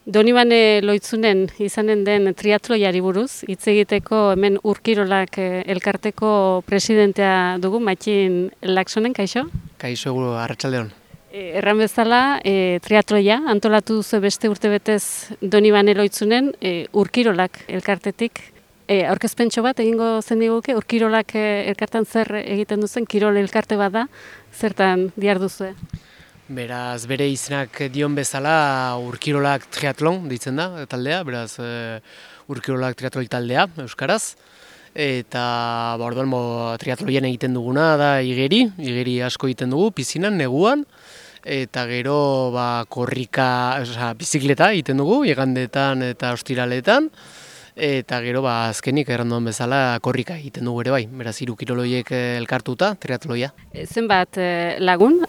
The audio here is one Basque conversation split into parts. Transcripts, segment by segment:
Donibane Loitzunen izanen den triatloiari buruz, hitz egiteko hemen Urkirolak elkarteko presidentea dugu, Matxin Laksonen, kaixo? Kaixo, arratsaldeon. Erran bezala, triatloia antolatu duzu beste urtebetez Donibane Loitzunen Urkirolak elkartetik. Aurkezpentxo bat egingo zen diguke, Urkirolak elkartan zer egiten duzen, kirol elkarte bat da, zertan diharduzue? Beraz, bere izenak dion bezala Urkirolak triatlon ditzen da taldea, beraz Urkirolak triatloi taldea, euskaraz. Eta orduan triatloien egiten duguna da igeri asko egiten dugu, pizinan, neguan. Eta gero korrika, bizikleta egiten dugu, igandetan eta ostiraletan. Eta gero azkenik erranduan bezala korrika egiten dugu ere bai, beraz 3 kiroloiek elkartuta triatloia. Zenbat lagun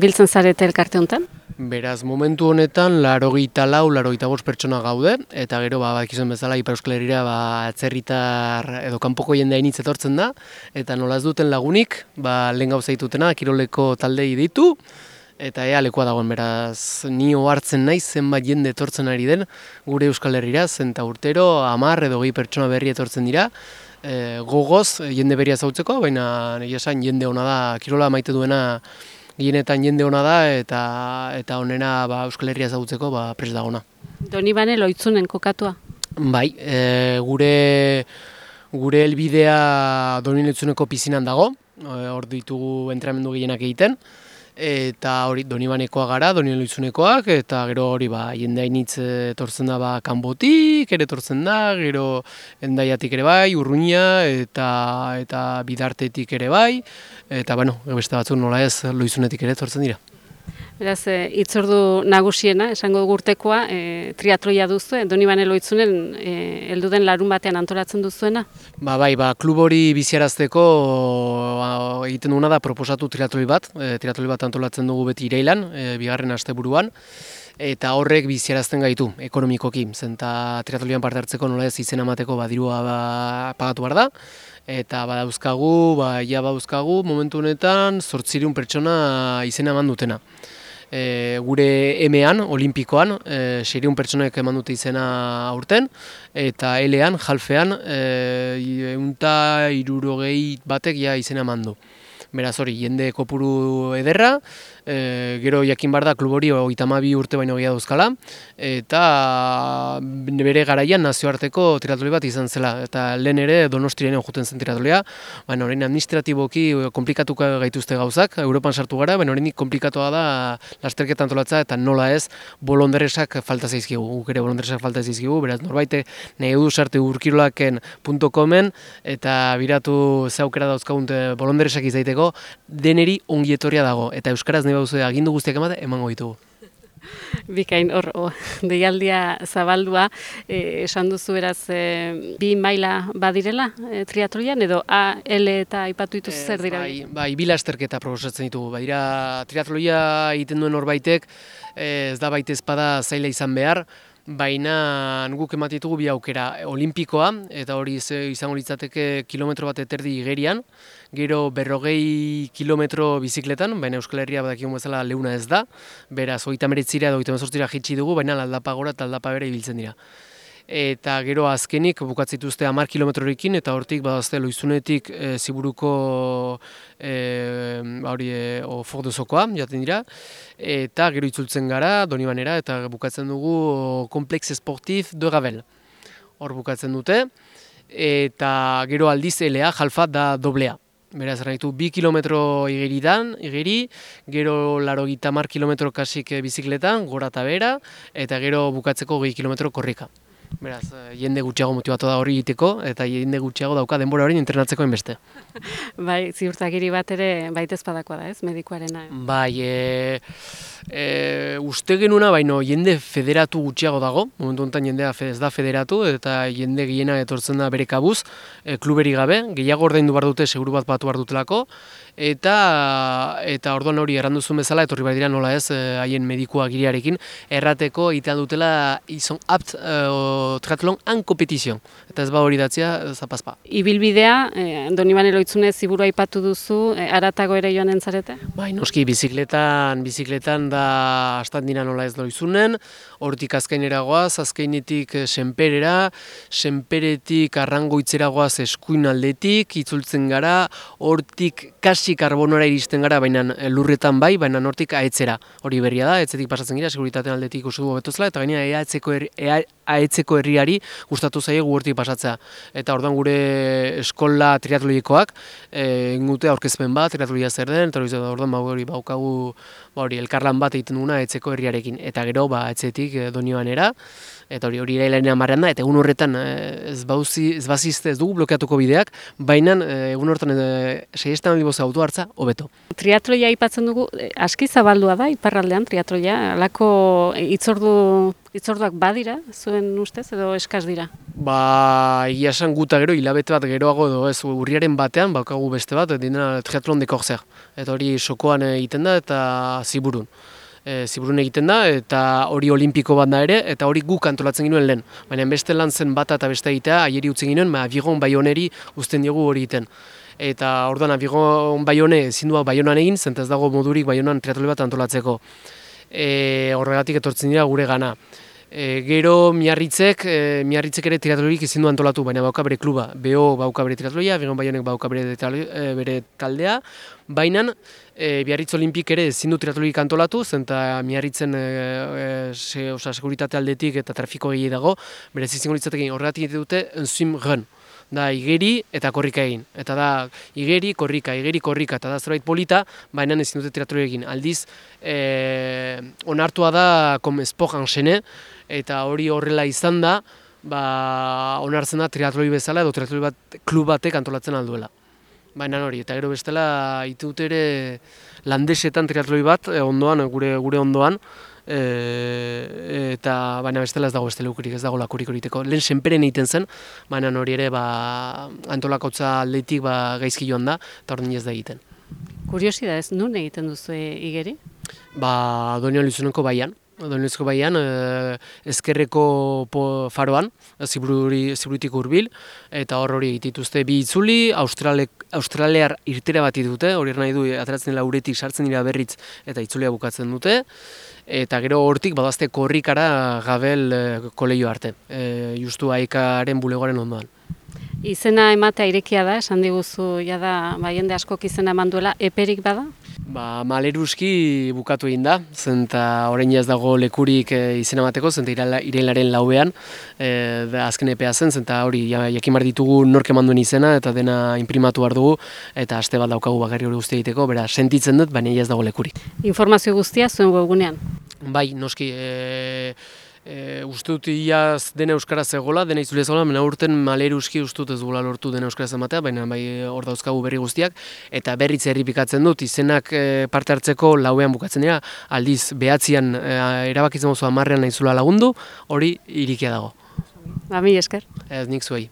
biltzen zarete elkarte honetan? Beraz, momentu honetan 84-85 pertsona gaude, eta gero bakizuen bezala Ipar Euskal Herrira atzerritar edo kanpoko jendea initz etortzen da, eta nola ez duten lagunik, lehen gauza ditutena, kiroleko taldei ditu, eta ea lekoa dagoen, beraz, ni ohartzen naiz zenbat jende etortzen ari den gure Euskal Herrira, zenta urtero 10 edo 20 pertsona berri etortzen dira, gogoz jende berria zautzeko, baina egia esan jende ona da, kirola maite duena gehienetan jende ona da, eta onena Euskal Herria zautzeko prest dagona. Donibane Loitzunen kokatua? Bai, gure helbidea Donibane Loitzuneko pizinan dago, hor ditugu entrenamendu gehienak egiten, eta hori Donibanekoa gara, Donibane Loitzunekoak, eta gero hori jende hainitz etortzen da kanbotik ere etortzen da, gero Hendaiatik ere bai, Urruña eta Bidartetik ere bai, eta beste batzuk nola ez Loitzunetik ere etortzen dira. Beraz, hitzordu nagusiena, esango urtekoa, triatloia duzu, Donibane Loitzunen helduden larun batean antolatzen duzuena? Bai, klub hori biziarazteko egiten duguna da proposatu triatloi bat antolatzen dugu beti irailan, bigarren asteburuan, eta horrek biziarazten gaitu, ekonomikoki, zenta triatloian parte hartzeko nola ez izena emateko dirua pagatu behar da, eta badauzkagu momentu honetan 800 pertsona izena eman dutena. Gure emean, olimpikoan, 600 pertsonek eman dute izena aurten, eta elean, jalfean, 160 batek izena eman du. Beraz hori, jende kopuru ederra, gero jakin bar da klub hori 32 urte baino gehiago dauzkala, eta bere garaian nazioarteko triatloi bat izan zela, eta lehen ere Donostiaren jouten zen triatloia, orain administratiboki komplikatuko gaituzte gauzak, Europan sartu gara, oraindik komplikatoa da lasterketa antolatza, eta nola ez, bolondresak falta zaizkigu, guk ere bolondresak falta zaizkigu, beraz norbaite nahi du sarte urkirolaken.comen, eta biratu ze aukera dauzkagun bolondresak izaiteko, deneri ongi etorria dago, eta euskaraz nahi baduzu agindu guztiak emango ditugu. Bikain, hor, deialdia zabaldua, esan duzu beraz, 2 maila badirela triatloian, edo A, L eta aipatu dituzu zer dira? Bai, bi lasterketa proposatzen ditugu, badira triatloia egiten duen horbaitek, ez da baita ezpada zaila izan behar, baina guk ematen ditugu bi aukera, olimpikoa, eta hori izango litzateke kilometro bat eterdi igerian, gero 40 kilometro bizikletan, baina Euskal Herria badakigun bezala leuna ez da, beraz 39 edo 38 jitsi dugu, baina aldapa gora eta aldapa bere ibiltzen dira. Eta gero azkenik bukatzen dituzte 10 kilometrorekin, eta hortik badazte Loizunetik Ziburuko Fordozokoa jaten dira, eta gero itzultzen gara Donibanera, eta bukatzen dugu Complexe Sportif de Ravel. Hor bukatzen dute, eta gero aldiz elea, jalfa da doblea. Beraz, erraitu 2 kilometro igeri, gero 80 kilometro kasik bizikletan, gora eta bera, eta gero bukatzeko 20 kilometro korrika. Beraz, jende gutxiago motibatu da hori egiteko, eta jende gutxiago dauka denbora hori entrenatzeko enbeste. Bai, ziurtagiri bat ere baita ezpadakoa da, ez, medikuarena? Bai, uste genuna, baino jende federatu gutxiago dago, momentu honetan jendea ez da federatu, eta jende gehiena etortzen da bere kabuz, kluberi gabe, gehiago ordaindu behar dute, seguru bat batu behar dutelako, eta orduan hori erranduzun bezala, etorri behar dira nola ez, haien medikua giriarekin, errateko egiten dutela izon apt triatlon en competition. Eta ez ba hori datzia, zapazpa. Ibilbidea, Donibane Lohitzune ziburu aipatu duzu, haratago ere joan entzarete? Bai, noski, bizikletan da astandina nola ez Lohizunen, hortik azkainera goaz, azkainetik senperera, senperetik arrangoitzera goaz eskuin aldetik, itzultzen gara, hortik kasi karbonora iristen gara, baina lurretan bai, baina hortik aetzera. Hori berria da, aetzetik pasatzen gira, seguritatean aldetik uste du betozela, eta gainera aetzeko herriari gustatu zaie hortik pasatzea. Eta orduan gure eskola triatloikoak, ingute aurkezpen bat, triatloia zer den, eta orduan hori baukagu elkarlan bat egiten duguna aetzeko herriarekin. Eta gero, aetzetik Donibanera, eta hori irailaren 10 da, eta egun horretan ez bazizte ez dugu blokeatuko bideak, baina egun horretan 6 biboza auto hartza, hobeto. Triatloia aipatzen dugu, aski zabaldua da, iparraldean triatloia, alako hitzorduak badira, zuen ustez, edo eskaz dira? Egia esan guta gero, hilabete bat geroago edo ez, urriaren batean, baukagu beste bat, dena triatlon de Corsair. Eta hori sokoan egiten da, eta ziburun. Ziburun egiten da, eta hori olimpiko bat da ere, eta hori guk antolatzen ginuen lehen. Baina beste lan zen bata eta beste egitea, aieri utzen ginuen, Aviron Bayoneri uzten diogu hori egiten. Eta orduan Aviron Bayone ezin du Bayonan egin, zenta ez dago modurik Bayonan triatloi bat antolatzeko. Horregatik etortzen dira gure gana. Gero Miarritzek ere triatloirik ezin du antolatu, baina bauka bere kluba. BO bauka bere triatloia, Aviron Bayonek bauka bere taldea, baina Biarritz Olimpik ere ezin du triatloirik antolatu, zenta Miarritzen seguritate aldetik eta trafiko gehi dago, berez izango litzatekin horregatik egite dute swim run. Da igeri eta korrika egin. Eta da igeri, korrika, eta da zerbait polita, baina ezin dute triatloi egin. Aldiz, onartua da sport enchaîné, eta hori horrela izan da, onartzen da triatloi bezala edo triatloi klub batek antolatzen alduela. Baina hori, eta gero bestela itut ere landesetan triatloi bat, ondoan, gure ondoan, eta baina bestela ez dago beste lekurik, ez dago lakurik horiteko. Lehen senperen egiten zen, baina hori ere antolakotza aldetik gaizki joan da, eta hori ez da egiten. Kuriosidad ez, nun egiten duzu igeri? Doniban Lohitzuneko baian. Donezko baian, ezkerreko faroan, ziburutik hurbil, eta hori egitituzte bi itzuli, australear irtera bat dute, hori nahi du, ateratzen dela uretik sartzen dira berriz eta itzulia bukatzen dute, eta gero hortik badazte korrikara Gabel kolegio arte, justu Aikaren bulegoaren ondoan. Izena ematea irekia da, esan diguzu, jada, jende askok izena eman duela, eperik bada? Maleruski bukatu egin da, zenta orain ez dago lekurik izena emateko, zenta irailaren 4ean azken epea zen, zenta hori jakin behar ditugu nork eman duen izena eta dena inprimatu behar dugu, eta aste bat daukagu bakarri hori guztia egiteko, bera sentitzen dut, baina ez dago lekurik. Informazio guztia zuen webgunean? Bai, noski. Uste dut iaz dena euskaraz egola, dena itzulea zegoela, baina urten Maleruski uste dut ez dugula lortu dena euskaraz ematea, baina bai hor dauzkagu berri guztiak, eta berriz errepikatzen dut, izenak parte hartzeko 4ean bukatzen dira, aldiz 9ean erabakitzen mozu 10ean naizula lagundu, hori irikia dago. Mila esker. Ez nik zuei.